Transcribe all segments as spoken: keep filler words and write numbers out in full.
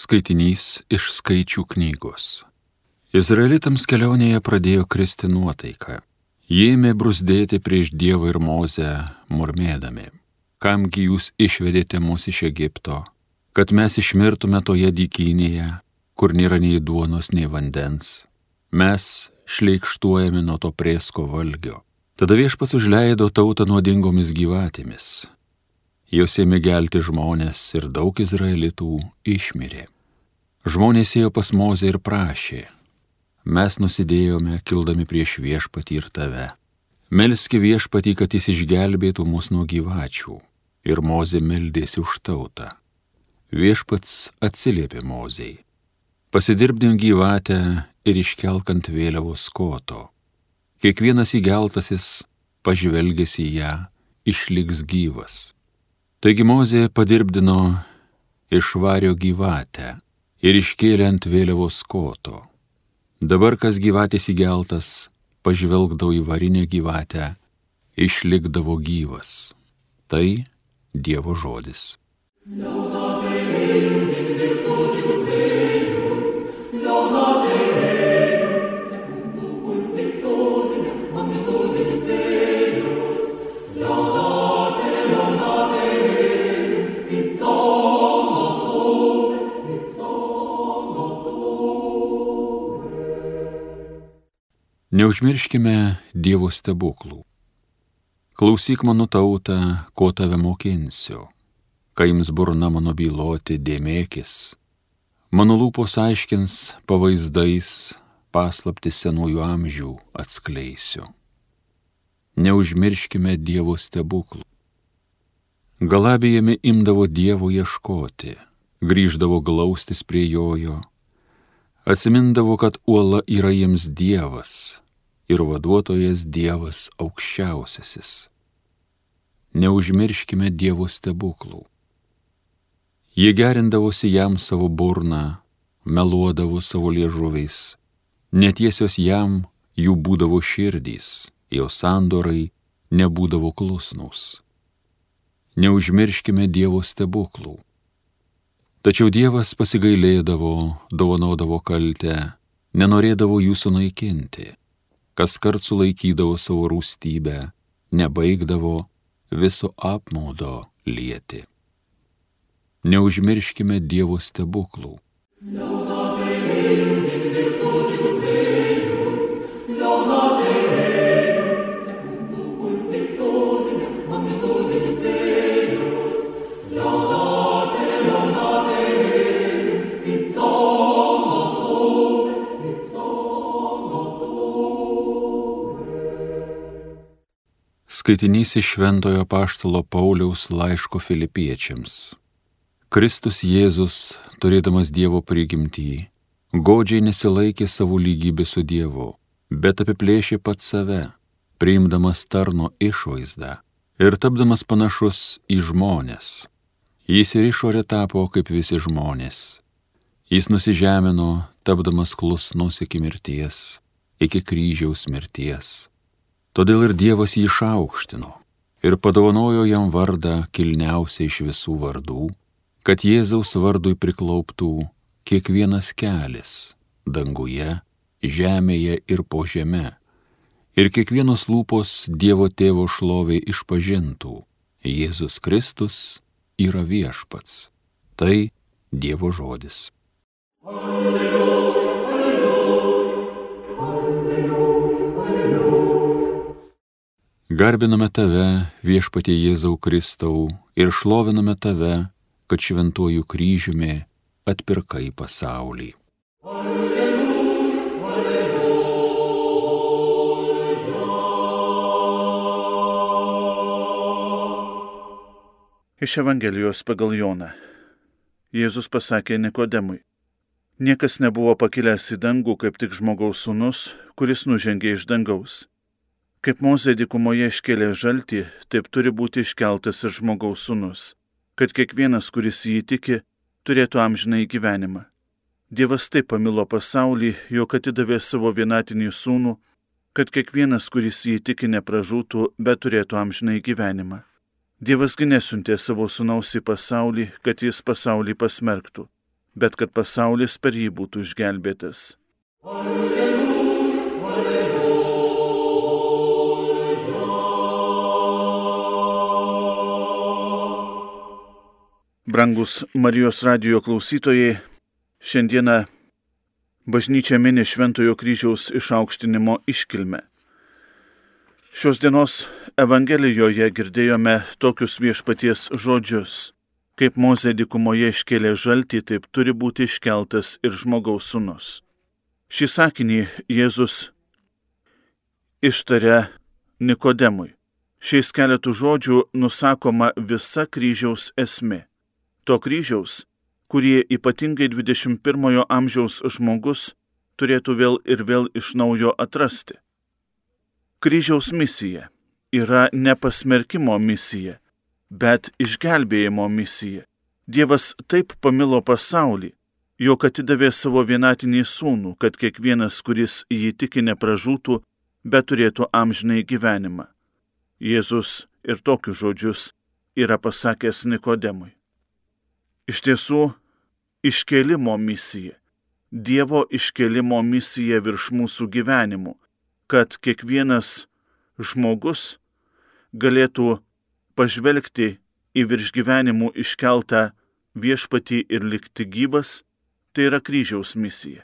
Skaitinys iš Skaičių knygos. Izraelitams kelionėje pradėjo kristi nuotaika. Jie ėmė brūzdėti prieš Dievą ir Mozę, murmėdami: kamgi jūs išvedėte mus iš Egipto, kad mes išmirtume toje dykynėje, kur nėra nei duonos, nei vandens. Mes šleikštuojame nuo to prėsko valgio. Tada Viešpats užleido tautą nuodingomis gyvatėmis. Jos ėmė gelti žmonės ir daug izraelitų išmirė. Žmonės ėjo pas Mozę ir prašė: mes nusidėjome, kildami prieš Viešpatį ir tave. Melski Viešpatį, kad jis išgelbėtų mus nuo gyvačių. Ir Mozė meldėsi už tautą. Viešpats atsiliepė Mozei: pasidirbdim gyvatę ir iškelk ant vėliavos koto. Kiekvienas įgeltasis, pažvelgęs į ją, išliks gyvas. Taigi Mozė padirbdino iš vario gyvatę ir iškėlė ant vėliavos koto. Dabar kas gyvatės įgeltas, pažvelgdavo į varinę gyvatę, išlikdavo gyvas. Tai Dievo žodis. Neužmirškime Dievo stebuklų. Klausyk mano tauta, ko tave mokinsiu. Kai jums burna mano byloti, dėmėkis. Mano lūpos aiškins pavaizdais, paslaptis senųjų amžių atskleisiu. Neužmirškime Dievo stebuklų. Galabijami imdavo Dievo ieškoti, grįždavo glaustis prie jojo, atsimindavo, kad uola yra jiems Dievas ir vaduotojas Dievas aukščiausiasis. Neužmirškime Dievo stebuklų. Jie gerindavosi jam savo burną, meluodavo savo liežuviais, netiesios jam jų būdavo širdys, jo sandorai nebūdavo klusnūs. Neužmirškime Dievo stebuklų. Tačiau Dievas pasigailėdavo, dovanodavo kaltę, nenorėdavo jų sunaikinti. Kaskart sulaikydavo savo rūstybę, nebaigdavo viso apmaudo lieti. Neužmirškime Dievo stebuklų. Skaitinys iš Šventojo apaštalo Pauliaus laiško Filipiečiams. Kristus Jėzus, turėdamas Dievo prigimtį, godžiai nesilaikė savo lygybės su Dievu, bet apiplėšė pats save, priimdamas tarno išvaizdą ir tapdamas panašus į žmones. Jis ir išorė tapo kaip visi žmonės. Jis nusižemino, tapdamas klusnus iki mirties, iki kryžiaus mirties. Todėl ir Dievas jį išaukštino ir padovanojo jam vardą kilniausią iš visų vardų, kad Jėzaus vardui priklauptų kiekvienas kelis danguje, žemėje ir po žeme, ir kiekvienos lūpos Dievo Tėvo šlovei išpažintų: Jėzus Kristus yra viešpats. Tai Dievo žodis. Alleluja, alleluja, alleluja, alleluja. Garbiname tave, Viešpatie Jėzau Kristau, ir šloviname tave, kad šventuoju kryžiumi atpirkai pasaulį. Alleluja, alleluja. Iš Evangelijos pagal Joną. Jėzus pasakė Nikodemui: niekas nebuvo pakilęs į dangų, kaip tik žmogaus sūnus, kuris nužengė iš dangaus. Kaip Mozė dykumoje iškėlė žaltį, taip turi būti iškeltas ir žmogaus sūnus, kad kiekvienas, kuris jį tiki, turėtų amžinąjį gyvenimą. Dievas taip pamilo pasaulį, jog atidavė savo vienatinį sūnų, kad kiekvienas, kuris jį tiki, nepražūtų, bet turėtų amžinąjį gyvenimą. Dievasgi nesiuntė savo sūnaus į pasaulį, kad jis pasaulį pasmerktų, bet kad pasaulis per jį būtų išgelbėtas. Alleluja, alleluja. Brangus Marijos radijo klausytojai, šiandieną bažnyčia mini Šventojo kryžiaus išaukštinimo iškilmę. Šios dienos Evangelijoje girdėjome tokius viešpaties žodžius. Kaip Mozė dykumoje iškėlė žaltį, taip turi būti iškeltas ir žmogaus sūnus. Šį sakinį Jėzus ištarė Nikodemui. Šiais keletų žodžių nusakoma visa kryžiaus esmė. To kryžiaus, kurį ypatingai dvidešimt pirmojo amžiaus žmogus turėtų vėl ir vėl iš naujo atrasti. Kryžiaus misija yra ne pasmerkimo misija, bet išgelbėjimo misija. Dievas taip pamilo pasaulį, jog atidavė savo vienatinį sūnų, kad kiekvienas, kuris jį tiki, nepražūtų, bet turėtų amžinai gyvenimą. Jėzus ir tokius žodžius yra pasakęs Nikodemui. Iš tiesų, iškėlimo misija, Dievo iškėlimo misija virš mūsų gyvenimų, kad kiekvienas žmogus galėtų pažvelgti į virš gyvenimų iškeltą viešpatį ir likti gyvas, tai yra kryžiaus misija.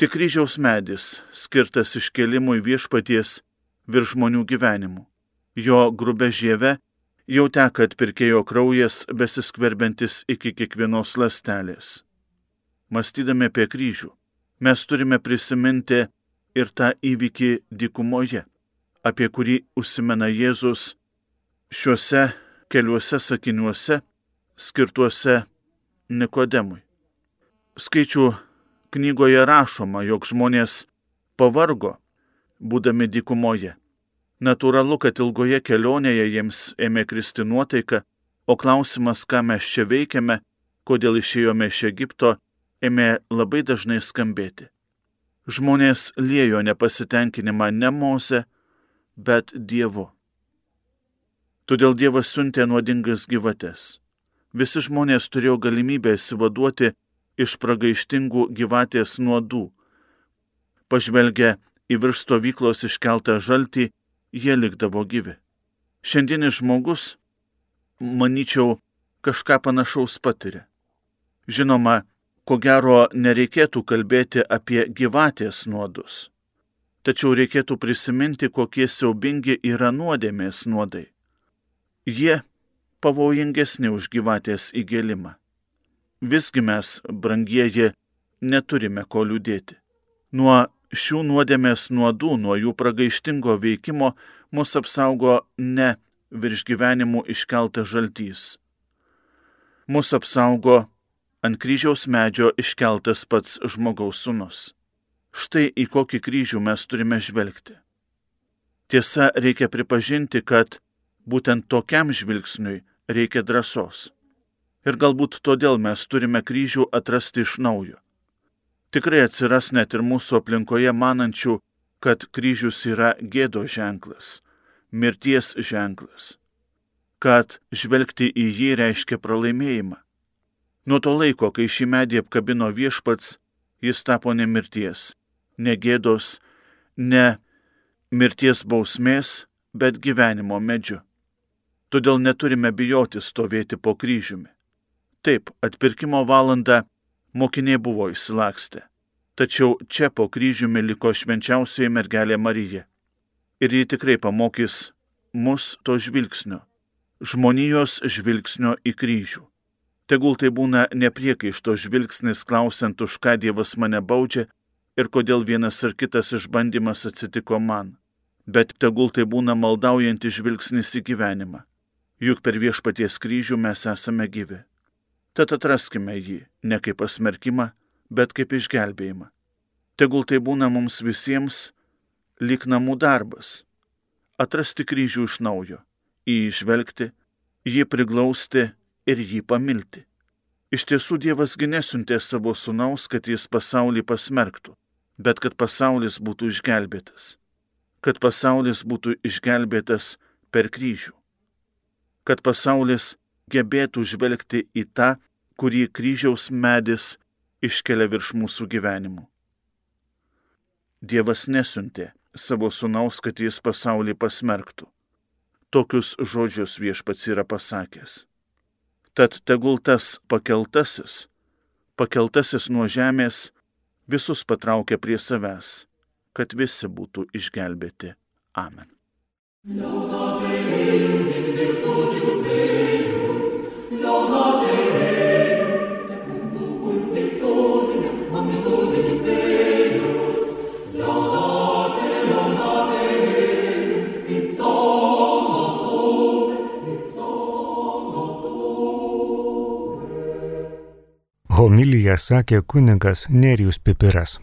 Tik kryžiaus medis skirtas iškėlimui viešpaties virš žmonių gyvenimų. Jo grubia žieve jau teka atpirkėjo kraujas, besiskverbiantis iki kiekvienos ląstelės. Mąstydami apie kryžių, mes turime prisiminti ir tą įvykį dykumoje, apie kurį užsimena Jėzus šiuose keliuose sakiniuose skirtuose Nikodemui. Skaičių knygoje rašoma, jog žmonės pavargo, būdami dykumoje. Natūralu, kad ilgoje kelionėje jiems ėmė kristi nuotaika, o klausimas, ką mes čia veikiame, kodėl išėjome iš Egipto, ėmė labai dažnai skambėti. Žmonės liejo nepasitenkinimą ne Moze, bet Dievu. Todėl Dievas siuntė nuodingas gyvates. Visi žmonės turėjo galimybę išsivaduoti iš pragaištingų gyvatės nuodų. Pažvelgę į virš stovyklos iškeltą žaltį, jie likdavo gyvi. Šiandienis žmogus, manyčiau, kažką panašaus patiria. Žinoma, ko gero nereikėtų kalbėti apie gyvatės nuodus. Tačiau reikėtų prisiminti, kokie siaubingi yra nuodėmės nuodai. Jie pavojingesni už gyvatės įgėlimą. Visgi mes, brangieji, neturime ko liūdėti. Nuo šių nuodėmės nuodų, nuo jų pragaištingo veikimo mus apsaugo ne virš gyvenimų iškeltas žaltys. Mus apsaugo ant kryžiaus medžio iškeltas pats žmogaus sūnus. Štai į kokį kryžių mes turime žvelgti. Tiesa, reikia pripažinti, kad būtent tokiam žvilgsniui reikia drąsos. Ir galbūt todėl mes turime kryžių atrasti iš naujo. Tikrai atsiras net ir mūsų aplinkoje manančių, kad kryžius yra gėdo ženklas, mirties ženklas, kad žvelgti į jį reiškia pralaimėjimą. Nuo to laiko, kai šį medį apkabino viešpats, jis tapo ne mirties, ne gėdos, ne mirties bausmės, bet gyvenimo medžiu. Todėl neturime bijoti stovėti po kryžiumi. Taip, atpirkimo valandą mokiniai buvo išsilakstę, tačiau čia po kryžiumi liko švenčiausioji mergelė Marija. Ir ji tikrai pamokys mus to žvilgsnio, žmonijos žvilgsnio į kryžių. Tegul tai būna nepriekaišto žvilgsnis klausiant, už ką Dievas mane baudžia ir kodėl vienas ar kitas išbandymas atsitiko man. Bet tegul tai būna maldaujantis žvilgsnis į gyvenimą. Juk per viešpaties kryžių mes esame gyvi. Tad atraskime jį ne kaip pasmerkimą, bet kaip išgelbėjimą. Tegul tai būna mums visiems lyg namų darbas. Atrasti kryžių iš naujo, į jį žvelgti, jį priglausti ir jį pamilti. Iš tiesų Dievasgi nesiuntė savo sūnaus, kad jis pasaulį pasmerktų, bet kad pasaulis būtų išgelbėtas. Kad pasaulis būtų išgelbėtas per kryžių. Kad pasaulis gebėtų žvelgti į tą, kurį kryžiaus medis iškelia virš mūsų gyvenimų. Dievas nesiuntė savo sūnaus, kad jis pasaulį pasmerktų. Tokius žodžius Viešpats yra pasakęs. Tad tegul tas pakeltasis, pakeltasis nuo žemės visus patraukia prie savęs, kad visi būtų išgelbėti. Amen. Laudate Deum in virtutibus eius, laudate Deum secundum multitudinem magnitudinis eius, laudate, laudate Deum in somno tuum, in somno tuum. Homiliją sakė kunigas Nerijus Pipiras.